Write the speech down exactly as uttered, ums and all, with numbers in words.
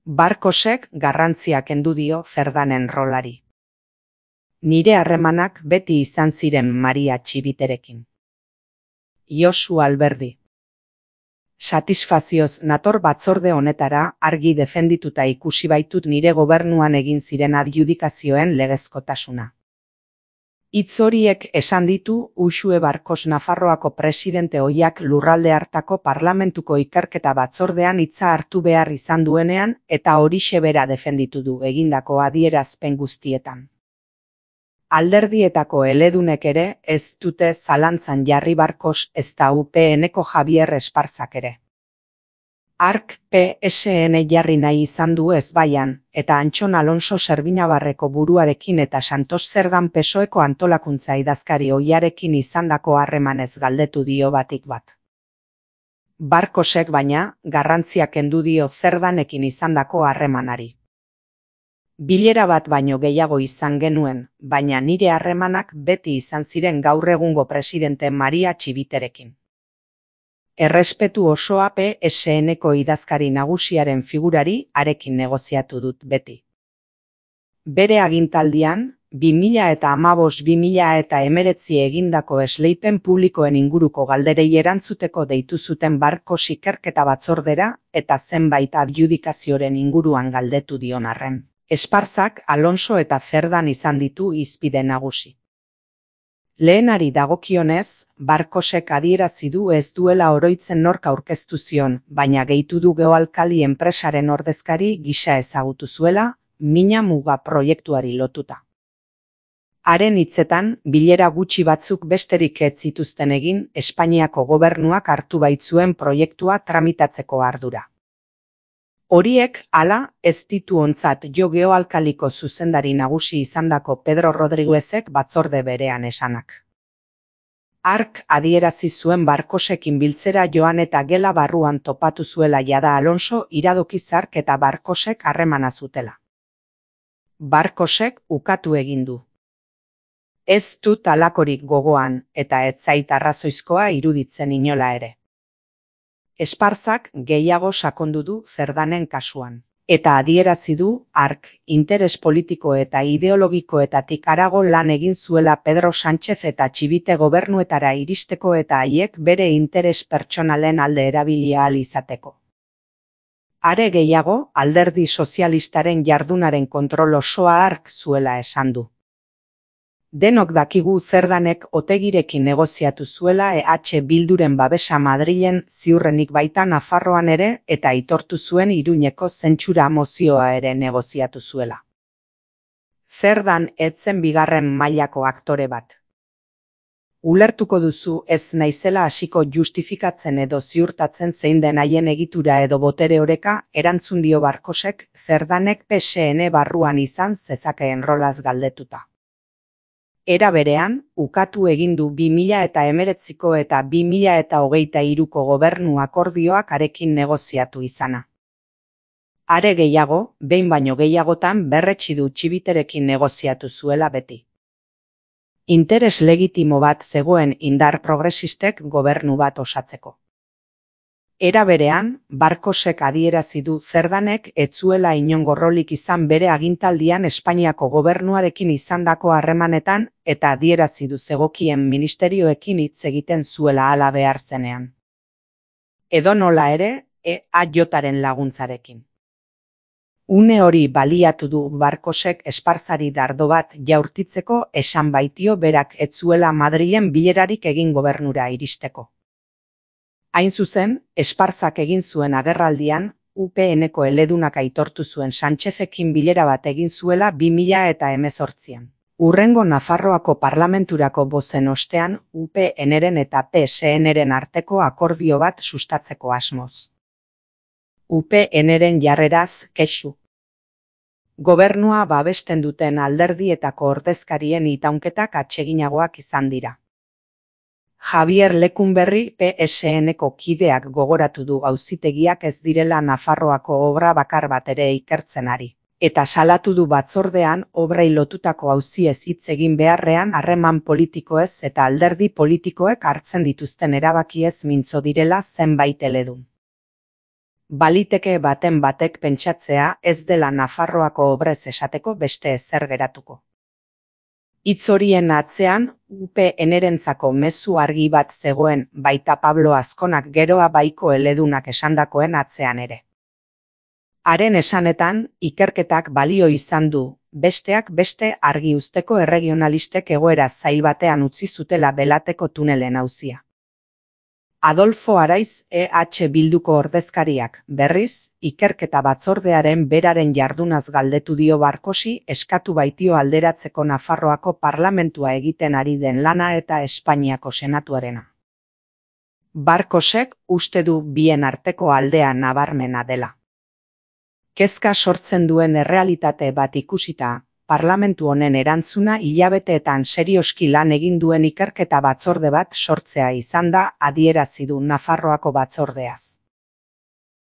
Barkosek garrantzia kendu dio Cerdanen rolari. Nire harremanak beti izan ziren Maria Txibiterekin. Josu Alberdi. Satisfazioz nator batzorde honetara, argi defendituta ikusi baitut nire gobernuan egin ziren adjudikazioen legezkotasuna. Hitz horiek esan ditu Uxue Barkos Nafarroako presidente ohiak lurralde hartako parlamentuko ikerketa batzordean hitza hartu behar izan duenean eta horixe bera defenditu du egindako adierazpen guztietan. Alderdietako eledunek ere ez dute zalantzan jarri Barkos ezta U P N-ko Javier Esparzak ere. Ark P S N jarri nahi izan du ezbaian, eta Antxon Alonso Zerbinabarreko buruarekin eta Santos Zerdan P S O E-ko antolakuntza idazkari ohiarekin izandako harremanez galdetu dio batik bat. Barkosek baina, garrantzia kendu dio Zerdanekin izandako harremanari. Bilera bat baino gehiago izan genuen, baina nire harremanak beti izan ziren gaur egungo presidente Maria Txibiterekin. Errespetu osoa P S N-ko idazkari nagusiaren figurari arekin negoziatu dut beti. Bere agintaldian, bi mila hamabost bi mila hemeretzi egindako esleipen publikoen inguruko galderei erantzuteko deitu zuten Barkos ikerketa batzordera eta zenbait adjudikazioren inguruan galdetu dion arren. Esparzak, Alonso eta Zerdan izan ditu hizpide nagusi. Lehenari dagokionez, Barkosek adierazi du ez duela oroitzen nork aurkeztu zion, baina gehitu du Geoalkali enpresaren ordezkari gisa ezagutu zuela, Mina Muga proiektuari lotuta. Haren hitzetan, bilera gutxi batzuk besterik ez zituzten egin, Espainiako gobernuak hartu baitzuen proiektua tramitatzeko ardura. Horiek, hala, ez ditu ontzat jo Geoalkaliko zuzendari nagusi izandako Pedro Rodriguezek batzorde berean esanak. Ark adierazi zuen Barkosekin biltzera joan eta gela barruan topatu zuela jada Alonso iradoki zark eta Barkosek harremana zutela. Barkosek ukatu egin du. Ez dut halakorik gogoan, eta ez zait arrazoizkoa iruditzen inola ere. Esparzak gehiago sakondu du Zerdanen kasuan. Eta adierazi du, ark, interes politiko eta ideologikoetatik harago lan egin zuela Pedro Sánchez eta Txibite gobernuetara iristeko eta haiek bere interes pertsonalen alde erabili ahal izateko. Are gehiago, alderdi sozialistaren jardunaren kontrol osoa ark zuela esan du. Denok dakigu Zerdanek Otegirekin negoziatu zuela E H Bilduren babesa Madrilen ziurrenik baita Nafarroan ere eta aitortu zuen Iruñeko zentsura mozioa ere negoziatu zuela. Zerdan ez zen bigarren mailako aktore bat. Ulertuko duzu ez naizela hasiko justifikatzen edo ziurtatzen zein den haien egitura edo botere oreka, erantzun dio Barkosek Zerdanek P S N barruan izan zezakeen rolaz galdetuta. Era berean, ukatu egin du bi mila hemeretziko eta bi mila hogeita hiruko gobernu akordioak arekin negoziatu izana. Are gehiago, behin baino gehiagotan berretsi du Txibiterekin negoziatu zuela beti. Interes legitimo bat zegoen indar progresistek gobernu bat osatzeko. Era berean, Barkosek adierazi du Zerdanek ez zuela inongo rolik izan bere agintaldian Espainiako gobernuarekin izandako harremanetan eta adierazi du zegokien ministerioekin hitz egiten zuela hala behar zenean. Edonola ere, E H-aren laguntzarekin. Une hori baliatu du Barkosek Esparzari dardo bat jaurtitzeko esan baitio berak ez zuela Madrilen bilerarik egin gobernura iristeko. Hain zuzen, Esparzak egin zuen agerraldian, U P N-ko eledunak aitortu zuen Sánchezekin bilera bat egin zuela bi mila hemezortzian. Hurrengo Nafarroako parlamenturako bozen ostean U P N-ren eta P S N-ren arteko akordio bat sustatzeko asmoz. U P N-ren jarreraz kexu. Gobernua babesten duten alderdietako ordezkarien itaunketak atseginagoak izan dira. Javier Lekunberri P S N-ko kideak gogoratu du auzitegiak ez direla Nafarroako obra bakar bat ere ikertzen ari. Eta salatu du batzordean obrei lotutako auziez hitz egin beharrean harreman politikoez eta alderdi politikoek hartzen dituzten erabakiez mintzo direla zenbait eledun. Baliteke baten batek pentsatzea ez dela Nafarroako obrez esateko beste ezer geratuko. Hitz horien atzean U P Nerentzako mezu argi bat zegoen, baita Pablo Azkonak geroa baiko eledunak esandakoen atzean ere. Haren esanetan, ikerketak balio izan du, besteak beste argi uzteko erregionalistek egoera zail batean utzi zutela Belateko tunelen auzia. Adolfo Araiz E H Bilduko ordezkariak, berriz, ikerketa batzordearen beraren jardunaz galdetu dio Barkosi eskatu baitio alderatzeko Nafarroako parlamentua egiten ari den lana eta Espainiako senatuarena. Barkosek uste du bien arteko aldea nabarmena dela. Kezka sortzen duen errealitate bat ikusita, parlamentu honen erantzuna hilabeteetan serioski lan egin duen ikerketa batzorde bat sortzea izan da, adierazi du Nafarroako batzordeaz.